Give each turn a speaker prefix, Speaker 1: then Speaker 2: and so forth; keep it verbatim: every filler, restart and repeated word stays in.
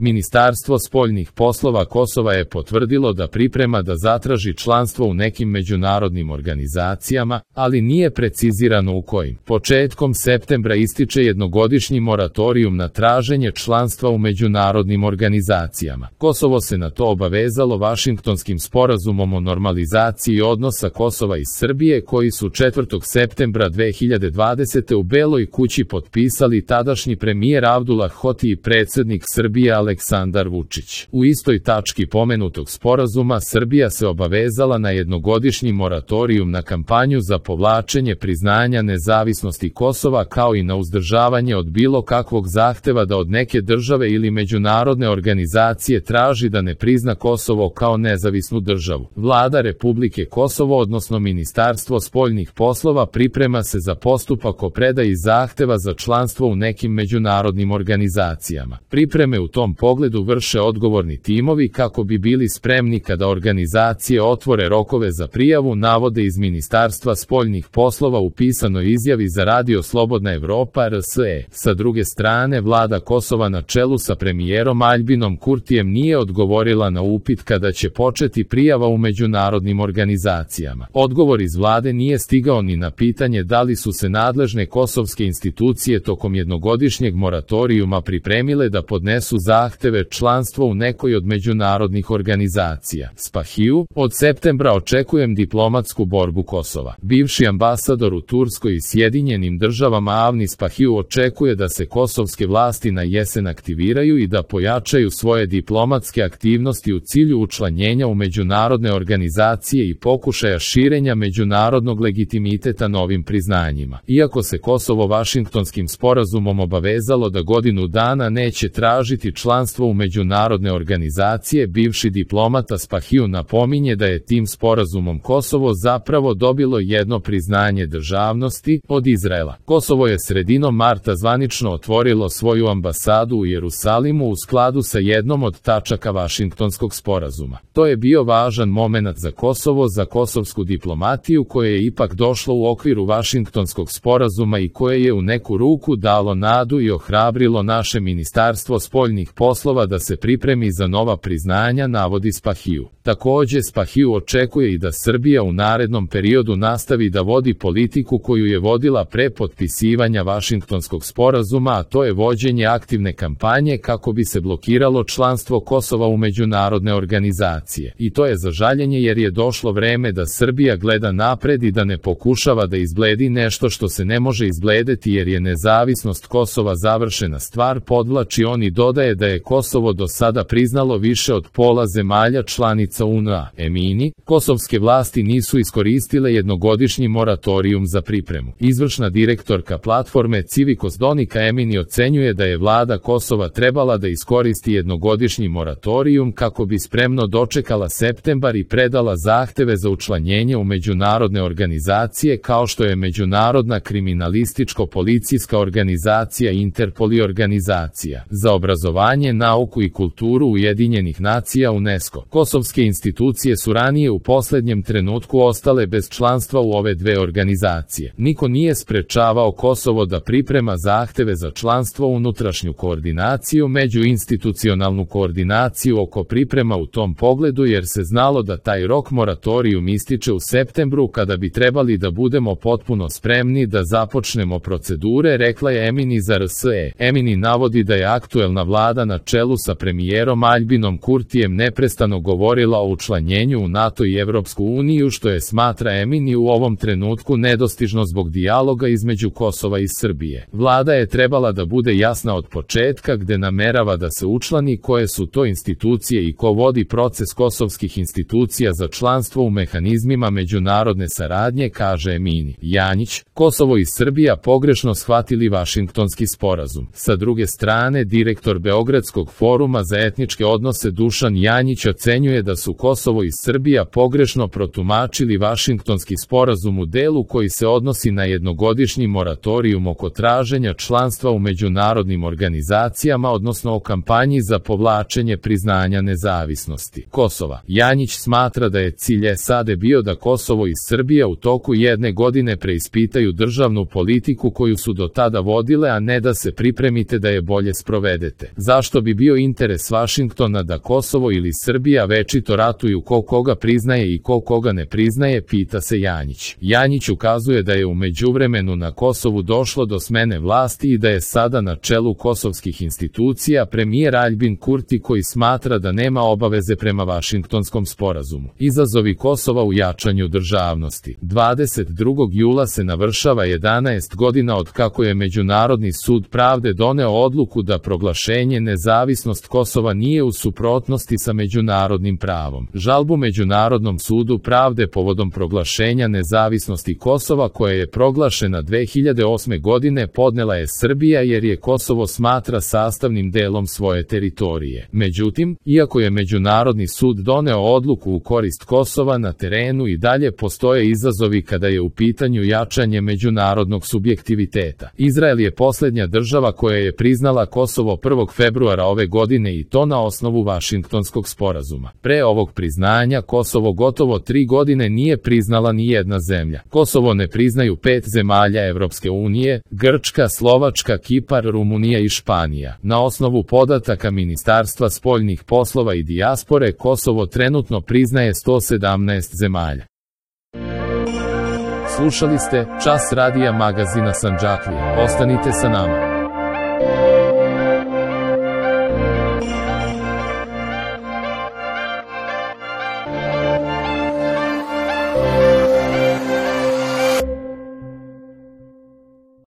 Speaker 1: Ministarstvo spoljnih poslova Kosova je potvrdilo da priprema da zatraži članstvo u nekim međunarodnim organizacijama, ali nije precizirano u kojim. Početkom septembra ističe jednogodišnji moratorijum na traženje članstva u međunarodnim organizacijama. Kosovo se na to obavezalo Vašingtonskim sporazumom o normalizaciji odnosa Kosova i Srbije koji su četvrtog septembra dve hiljade dvadesete. u Beloj kući potpisali tadašnji premijer Abdullah Hoti i predsjednik Srbije Aleksandar Vučić. U istoj tački pomenutog sporazuma Srbija se obavezala na jednogodišnji moratorijum na kampanju za povlačenje priznanja nezavisnosti Kosova kao i na uzdržavanje od bilo kakvog zahteva da od neke države ili međunarodne organizacije traži da ne prizna Kosovo kao nezavisnu državu. Vlada Republike Kosovo, odnosno Ministarstvo spoljnih poslova, priprema se za postupak o predaji zahteva za članstvo u nekim međunarodnim organizacijama. Pripreme u tom pogledu vrše odgovorni timovi kako bi bili spremni kada organizacije otvore rokove za prijavu, navode iz Ministarstva spoljnih poslova u pisanoj izjavi za Radio Slobodna Evropa R S E. Sa druge strane, vlada Kosova na čelu sa premijerom Aljbinom Kurtijem nije odgovorila na upit kada će početi prijava u međunarodnim organizacijama. Odgovor iz vlade nije stigao ni na pitanje da li su se nadležne kosovske institucije tokom jednogodišnjeg moratorijuma pripremile da podnesu zahteve članstvo u nekoj od međunarodnih organizacija. Spahiju, od septembra očekujem diplomatsku borbu Kosova. Bivši ambasador u Turskoj i Sjedinjenim državama Avni Spahiju očekuje da se kosovske vlasti na jesen aktiviraju i da pojačaju svoje diplomatske aktivnosti u cilju učlanjenja u međunarodne organizacije i pokušaja širenja međunarodnog legitimiteta novim priznanjima. Iako se Kosovo Vašingtonskim sporazumom obavezalo da godinu dana neće tražiti članstvo u međunarodne organizacije, bivši diplomata Spahiju napominje da je tim sporazumom Kosovo zapravo dobilo jedno priznanje državnosti od Izraela. Kosovo je sredinom marta zvanično otvorilo svoju ambasadu u Jerusalimu u skladu sa jednom od tačaka Vašingtonskog sporazuma. To je bio važan momenat za Kosovo, za kosovsku diplomatiju koje je ipak došlo u okviru Vašingtonskog sporazuma i koje je u neku ruku dalo nadu i ohrabrilo naše Ministarstvo spoljnih poslova da se pripremi za nova priznanja, navodi Spahiju. Takođe, Spahiju očekuje i da Srbija u narednom periodu nastavi da vodi politiku koju je vodila pre potpisivanja Vašingtonskog sporazuma, a to je vođenje aktivne kampanje kako bi se blokiralo članstvo Kosova u međunarodne organizacije. I to je za žaljenje jer je došlo vreme da Srbija gleda napred i da ne pokušava da izbledi nešto što se ne može izbledeti jer je nezavisnost Kosova završena stvar, podvlači on i dodaje da je Kosovo do sada priznalo više od pola zemalja članica U N A. Emini, kosovske vlasti nisu iskoristile jednogodišnji moratorijum za pripremu. Izvršna direktorka platforme Civikos Donika Emini ocenjuje da je vlada Kosova trebala da iskoristi jednogodišnji moratorijum kako bi spremno dočekala septembar i predala zahteve za učlanjenje u međunarodne organizacije kao što je Međunarodna kriminalističko-policijska organizacija Interpol i organizacija za obrazovanje, nauku i kulturu Ujedinjenih nacija UNESCO. Kosovske institucije su ranije u poslednjem trenutku ostale bez članstva u ove dve organizacije. Niko nije sprečavao Kosovo da priprema zahteve za članstvo, unutrašnju koordinaciju, međuinstitucionalnu koordinaciju oko priprema u tom pogledu jer se znalo da taj rok moratorijum ističe u septembru kada bi trebali da budemo potpuno spremni da započnemo procedure, rekla je Emini za R S E. Emini navodi da je aktuelna vlada na čelu sa premijerom Aljbinom Kurtijem neprestano govorila o učlanjenju u NATO i Evropsku uniju što je, smatra Emini, u ovom trenutku nedostižno zbog dijaloga između Kosova i Srbije. Vlada je trebala da bude jasna od početka gde namerava da se učlani, koje su to institucije i ko vodi proces kosovskih institucija za članstvo u mehanizmima međunarodne saradnje, kaže Emini. Janjić, Kosovo i Srbija pogrešno shvatili Vašingtonski sporazum. Sa druge strane, direktor Beogradskog foruma za etničke odnose Dušan Janjić ocenjuje da su Kosovo i Srbija pogrešno protumačili Vašingtonski sporazum u delu koji se odnosi na jednogodišnji moratorijum oko traženja članstva u međunarodnim organizacijama, odnosno o kampanji za povlačenje priznanja nezavisnosti Kosova. Janjić smatra da je cilj S A D bio da Kosovo i Srbija u toku jedne godine preispitaju državnu politiku koju su do tada vodile, a ne da se pripremite da je bolje sprovedete. Zašto Zašto bi bio interes Vašingtona da Kosovo ili Srbija večito ratuju ko koga priznaje i ko koga ne priznaje, pita se Janjić. Janjić ukazuje da je u međuvremenu na Kosovu došlo do smene vlasti i da je sada na čelu kosovskih institucija premijer Aljbin Kurti, koji smatra da nema obaveze prema Vašingtonskom sporazumu. Izazovi Kosova u jačanju državnosti. dvadeset drugog jula se navršava jedanaest godina od kako je Međunarodni sud pravde doneo odluku da proglašenje nezavisnost Kosova nije u suprotnosti sa međunarodnim pravom. Žalbu Međunarodnom sudu pravde povodom proglašenja nezavisnosti Kosova, koja je proglašena dve hiljade osme godine, podnela je Srbija jer je Kosovo smatra sastavnim delom svoje teritorije. Međutim, iako je Međunarodni sud doneo odluku u korist Kosova, na terenu i dalje postoje izazovi kada je u pitanju jačanje međunarodnog subjektiviteta. Izrael je posljednja država koja je priznala Kosovo prvog februara ove godine i to na osnovu Vašingtonskog sporazuma. Pre ovog priznanja Kosovo gotovo tri godine nije priznala ni jedna zemlja. Kosovo ne priznaju pet zemalja Evropske unije: Grčka, Slovačka, Kipar, Rumunija i Španija. Na osnovu podataka Ministarstva spoljnih poslova i dijaspore, Kosovo trenutno priznaje sto sedamnaest zemalja. Slušali ste Čas radija magazina Sandžaklija. Ostanite sa nama.